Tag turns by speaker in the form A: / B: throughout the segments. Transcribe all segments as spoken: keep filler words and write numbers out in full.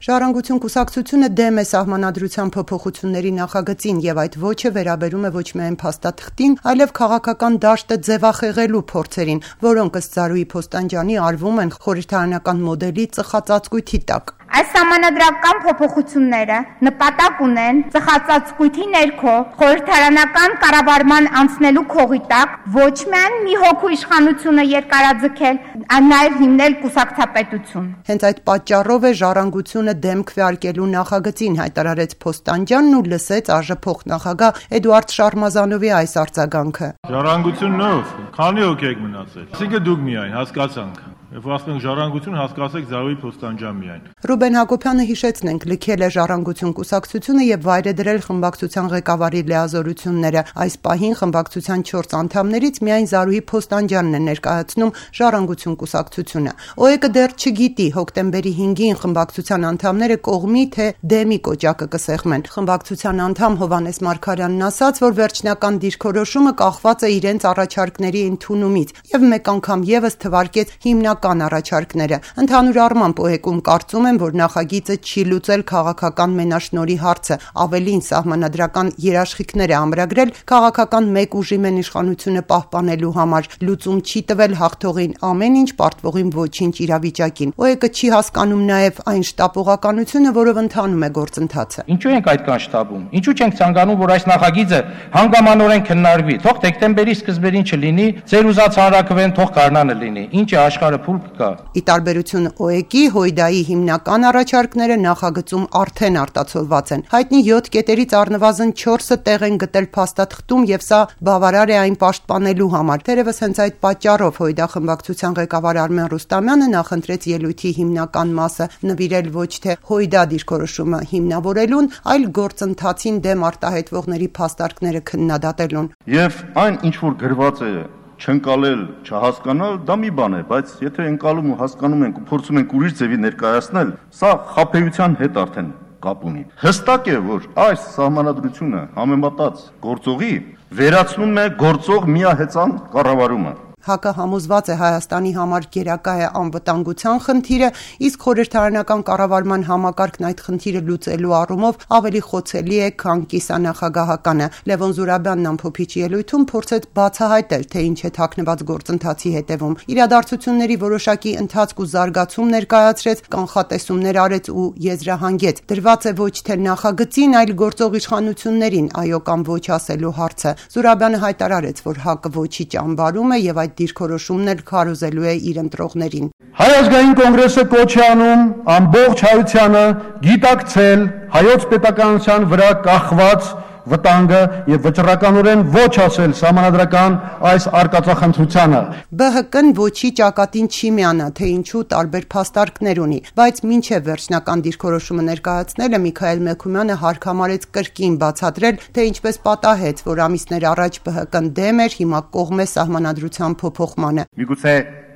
A: Ժառանգություն կուսակցությունը դեմ է սահմանադրության փոփոխությունների նախագծին եւ այդ ոչը վերաբերում է ոչ միայն փաստաթղթին, այլև քաղաքական դաշտը ձևախեղելու փորձերին, որոնք ըստ Զարուհի Փոստանջյանի արվում են խորհրդարանական մոդելի ծխածածկույթի տակ։
B: Այս սահմանադրական փոփոխությունները նպատակ ունեն ծխածածկույթի ներքո խորհրդարանական կառավարման անցնելու քողի տակ ոչ միայն մի հոգու իշխանությունը երկարաձգել, այլ նաև հիմնել կուսակցապետություն։
A: Հենց այդ պատճառով է Ժառանգությունը դեմ քվեարկելու նախագծին, հայտարարեց Փոստանջյանն ու լսեց ԱԺ փոխնախագահ Էդուարդ Շարմազանովի այս արձագանքը։
C: Ժառանգությունով քանի հոգի եք մնացել։ Այսինքն դուք միայն հասկացանք։ Երբ ասենք ժառանգություն, հասկացեք Զարուհի Փոստանջյան միայն։
A: Ռուբեն Հակոբյանը հիշեցնենք լքել է Ժառանգություն կուսակցությունը եւ վայր է դրել խմբակցության ղեկավարի լիազորությունները։ Այս պահին խմբակցության չորս անդամներից միայն Զարուհի Փոստանջյանն է ներկայացնում Ժառանգություն կուսակցությունը։ ՕԵԿ-ը դեռ չգիտի հոկտեմբերի հինգին խմբակցության անդամները կողմի թե դեմի կոճակը կսեղմեն։ Խմբակցության անդամ Հովհաննես Մարգարյանն ասաց, որ վերջնական դիրքորոշումը կախված է իրենց առաջարկների ընդունումից եւ մեկ անգամ եւս թվարկեց հիմնական առաջարկները։ Ընդհանուր առմամբ ՕԵԿ-ում կարծում են, որ նախագիծը չի լուծել քաղաքական մենաշնորհի հարցը, ավելին սահմանադրական երաշխիքներ է ամրագրել քաղաքական մեկ ուժի մենիշխանությունը պահպանելու համար, լուծում չի տվել հաղթողին ամեն ինչ, պարտվողին ոչինչ իրավիճակին։ ՕԵԿ-ը չի հասկանում նաև այն շտապողականությունը, որով ընթանում է գործընթացը։
D: Ինչու ենք այդքան շտապում։ Ինչու չենք ցանկանում, որ այս նախագիծը հանգամանորեն քննարկվի։ Թող դեկտեմբերի սկզբերին չլինի, ձեր ուզած հանրակրվեն, թող գարնանը լինի։ Ինչ է աշխարհը փուլ կա։
A: Ի տարբերություն ՕԵԿ-ի, Հույդայի հիմնական առաջարկները նախագծում արդեն արտացոլված են։ Հայտնի յոթ կետերից առնվազն չորսը տեղ են գտել փաստաթղթում եւ սա բավարար է այն պաշտպանելու համար։ Թերևս հենց այդ պատճառով Հույդա խմբակցության ղեկավար Արմեն Ռուստամյանը նախընտրեց ելույթի հիմնական մասը նվիրել ոչ թե Հույդա դիրքորոշումը հիմնավորելուն, այլ գործընթացին դեմ արտահայտվողների փաստարկները քննադատելուն։
E: Եվ այն ինչ որ գրված է չընկալել, չհասկանալ, դա մի բան է, բայց եթե ընկալում ու հասկանում ենք ու փորձում ենք ուրիշ ձևի ներկայացնել, սա խաբեության հետ արդեն կապ ունի։ Հստակ է, որ այս սահմանադրությունը համեմատած գործողի վերացնում է գործող միահեծան կառավարումը։
A: ՀԱԿ-ը համոզված է Հայաստանի համար գերակա է անվտանգության խնդիրը, իսկ խորհրդարանական կառավարման համակարգն այդ խնդիրը լուծելու առումով ավելի խոցելի է, քան կիսանախագահականը։ Լևոն Զուրաբյանն ամփոփիչ ելույթում փորձեց բացահայտել, թե ինչ է թաքնված գործընթացի հետևում։ Իրադարձությունների որոշակի ընթացք ու զարգացում ներկայացրեց, կանխատեսումներ արեց ու եզրահանգեց։ Դրված է ոչ թե նախագծին, այլ գործող իշխանություններին այո կամ ոչ ասելու հարցը։ Զուրաբյանը հայտարարեց, որ ՀԱԿ-ը ոչի ճամբարում է եւ այդ դիրքորոշումն էլ քարոզելու է իր ընտրողներին։
F: Հայ ազգային կոնգրեսը կոչ է անում ամբողջ հայությանը գիտակցել հայոց պետականության վրա կախված վտանգը եւ վճռականորեն ոչ ասել սահմանադրական այս արկածախնդրությանը։
A: ԲՀԿ-ն ոչի ճակատին չի միանա, թե ինչու տարբեր փաստարկներ ունի, բայց մինչև վերջնական դիրքորոշումը ներկայացնելը Միքայել Մեքումյանը հարկամարեց կրկին բացատրել, թե ինչպես պատահեց, որ ամիսներ առաջ ԲՀԿ-ն դեմ էր, հիմա կողմ է սահմանադրության փոփոխմանը։
G: Միգուցե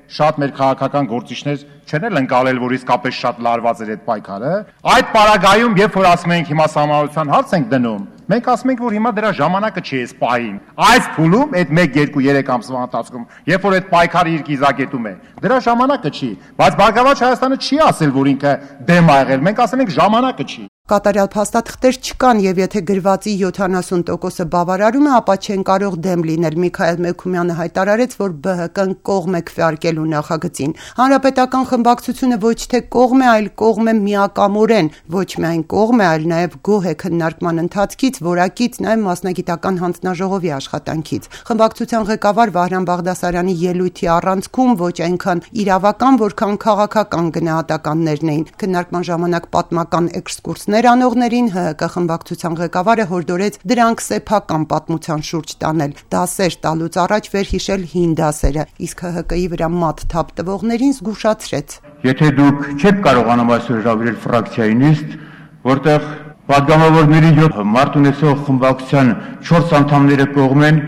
G: շատ մեր քաղաքական գործիչներ չեն էլ ընկալել, որ իսկապես շատ լարված էր այդ պայքարը։ Այդ պարագայում, երբ որ ասում ենք հիմա սահմանադրության հարց ենք դնում, մենք ասում ենք, որ հիմա դրա ժամանակը չի այս պահին։ Այս փուլում, այդ մեկ, երկու, երեք ամսվա ընթացքում, երբ որ այդ պայքարը իր կիզակետում է, դրա ժամանակը չի։ Բայց Բարգավաճ Հայաստանը չի ասել, որ ինքը դեմ ա եղել, մենք ասում ենք ժամանակը չի։
A: Կատարյալ փաստաթղթեր չկան եւ եթե գրվածի յոթանասուն տոկոսը բավարարում է, ապա չեն կարող դեմ լինել։ Միքայել Մեքումյանը հայտարարեց, որ ԲՀԿ-ն կողմ է քվեարկելու նախագծին։ Հանրապետական խմբակցությունը ոչ թե կողմ է, այլ կողմ է միակամորեն, ոչ միայն կողմ է, այլ նաեւ գոհ է քննարկման ընթացքից, որակից, նաեւ մասնագիտական հանձնաժողովի աշխատանքից։ Խմբակցության ղեկավար Վահրամ Բաղդասարյանի ելույթի առանցքում ոչ այնքան իրավական, որքան քաղաքական գնահատականներն էին։ Քննարկման ժամանակ պատմական էքսկուրսներ անողներին ՀՀԿ խմբակցության ղեկավարը հորդորեց դրանք սեփական պատմության շուրջ տանել, դասեր տալուց առաջ վերհիշել հին դասերը, իսկ ՀՀԿ-ի վրա մատ թափ տվողներին զգուշացրեց։
F: Եթե դուք չեք կարողանում այսօր հրավիրել ֆրակցիայի նիստ, որտեղ պատգամավորների յոթ մարդ ունեցող խմբակցության չորս անդամները կողմ են,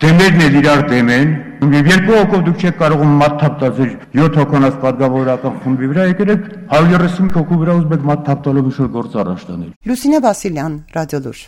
F: դեմերն էլ իրար դեմ են, եւ երկու հոգով դուք չեք կարողում մատ թափ տալ ձեր յոթ հոգանոց պատգամավորական խմբի վրա, եկել եք հարյուր երեսուն հոգու վրա ուզում եք մատ թափ տալով ինչ-որ գործ առաջ տանել։
A: Լուսինե Վասիլյան, Ռադիոլուր։